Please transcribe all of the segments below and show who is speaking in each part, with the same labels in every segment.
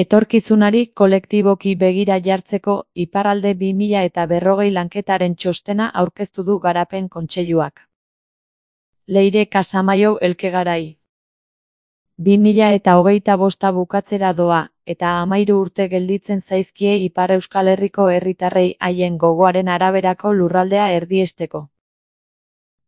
Speaker 1: Etorkizunari kolektiboki begira jartzeko Iparralde 2040 lanketaren txostena aurkeztu du Garapen Kontseiluak. Leire Casamaiu Elkegarai. 2025 bukatzera doa, eta 13 urte gelditzen zaizkie Ipar Euskal Herriko herritarrei haien gogoaren araberako lurraldea erdiesteko.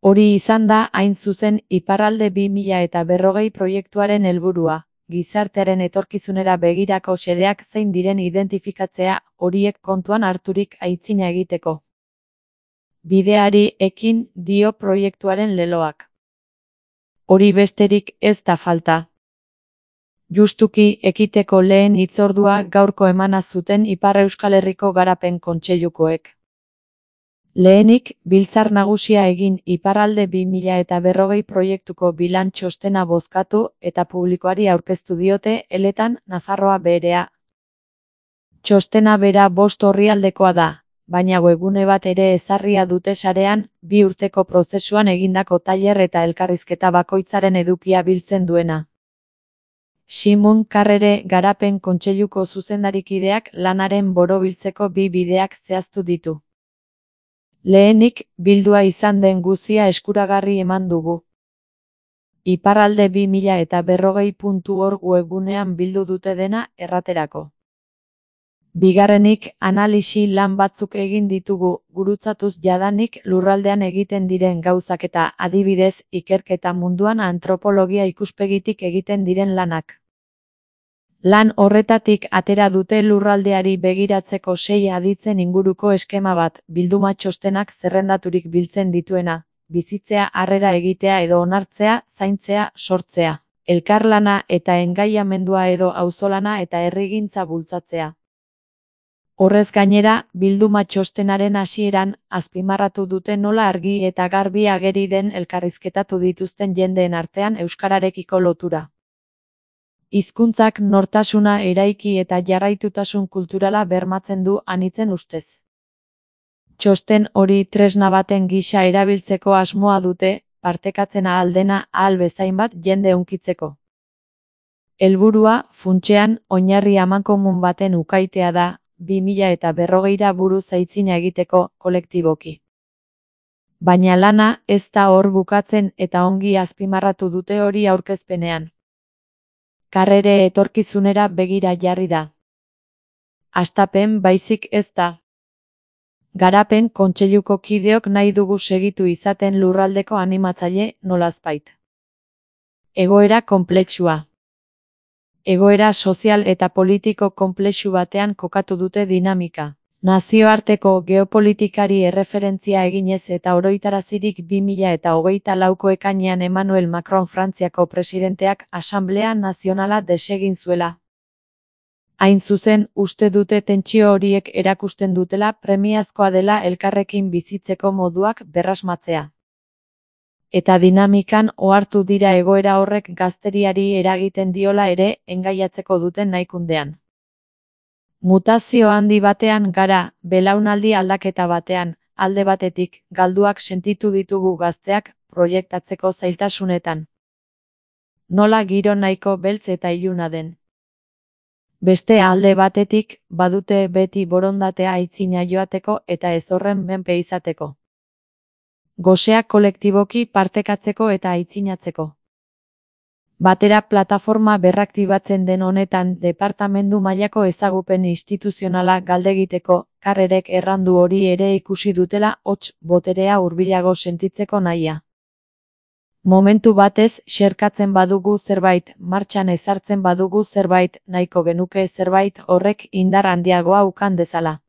Speaker 1: Hori izan da, hain zuzen, Iparralde 2040 proiektuaren helburua. Gizartearen etorkizunera begirako xedeak zein diren identifikatzea, horiek kontuan harturik aitzina egiteko. Bideari ekin dio proiektuaren leloak. Hori besterik ez da falta. Justuki ekiteko lehen hitzordua gaurko emana zuten Ipar Euskal Herriko Garapen Kontseilukoek. Lehenik, Biltzar Nagusia egin Iparralde 2040 proiektuko bilan txostena bozkatu eta publikoari aurkeztu diote eletan Nafarroa berea. Txostena bera 5 orrialdekoa da, baina webgune bat ere ezarria dute sarean, 2 urteko prozesuan egindako tailer eta elkarrizketa bakoitzaren edukia biltzen duena. Simon Karrere Garapen Kontseiluko zuzendarikideak lanaren borobiltzeko 2 bideak zehaztu ditu. Lehenik, bildua izan den guzia eskuragarri eman dugu. Iparralde 2040.org webgunean bildu dute dena erraterako. Bigarrenik, analisi lan batzuk egin ditugu, gurutzatuz jadanik lurraldean egiten diren gauzak eta adibidez, ikerketa munduan antropologia ikuspegitik egiten diren lanak. Lan horretatik atera dute lurraldeari begiratzeko 6 aditzen inguruko eskema bat, bilduma txostenak zerrendaturik biltzen dituena, bizitzea, harrera egitea edo onartzea, zaintzea, sortzea, elkarlana eta engaiamendua edo auzolana eta herrigintza bultzatzea. Horrez gainera, bilduma txostenaren hasieran, azpimarratu dute nola argi eta garbi ageri den elkarrizketatu dituzten jendeen artean euskararekiko lotura. Hizkuntzak nortasuna eraiki eta jarraitutasun kulturala bermatzen du anitzen ustez. Txosten hori tresna baten gisa erabiltzeko asmoa dute, partekatzen ahal dena ahal bezain bat jende hunkitzeko. Helburua, funtsean, oinarri amankomun baten ukaitea da, 2040ra buruz aitzina egiteko, kolektiboki. Baina lana ez da hor bukatzen eta ongi azpimarratu dute hori aurkezpenean. Karrere etorkizunera begira jarri da. Hastapen baizik ez da. Garapen Kontseiluko kideok nahi dugu segitu izaten lurraldeko animatzaile nolazbait. Egoera konplexua. Egoera sozial eta politiko konplexu batean kokatu dute dinamika. Nazioarteko geopolitikari erreferentzia eginez eta oroitarazirik 2024ko ekainean Emmanuel Macron Frantziako presidenteak Asanblea Nazionala desegin zuela. Hain zuzen, uste dute tentsio horiek erakusten dutela premiazkoa dela elkarrekin bizitzeko moduak berrasmatzea. Eta dinamikan ohartu dira egoera horrek gazteriari eragiten diola ere engaiatzeko duten nahikundean. Mutazio handi batean gara, belaunaldi aldaketa batean, alde batetik, galduak sentitu ditugu gazteak, proiektatzeko zailtasunetan. Nola giro nahiko beltz eta iluna den. Beste alde batetik, badute beti borondatea aitzina joateko eta ez horren menpe izateko. Gosea kolektiboki partekatzeko eta aitzinatzeko. Batera plataforma berraktibatzen den honetan departamendu mailako ezagupen instituzionala galdegiteko, Karrerek errandu hori ere ikusi dutela hots boterea hurbilago sentitzeko nahia. Momentu batez xerkatzen badugu zerbait, martxan ezartzen badugu zerbait, nahiko genuke zerbait horrek indar handiagoa ukan dezala.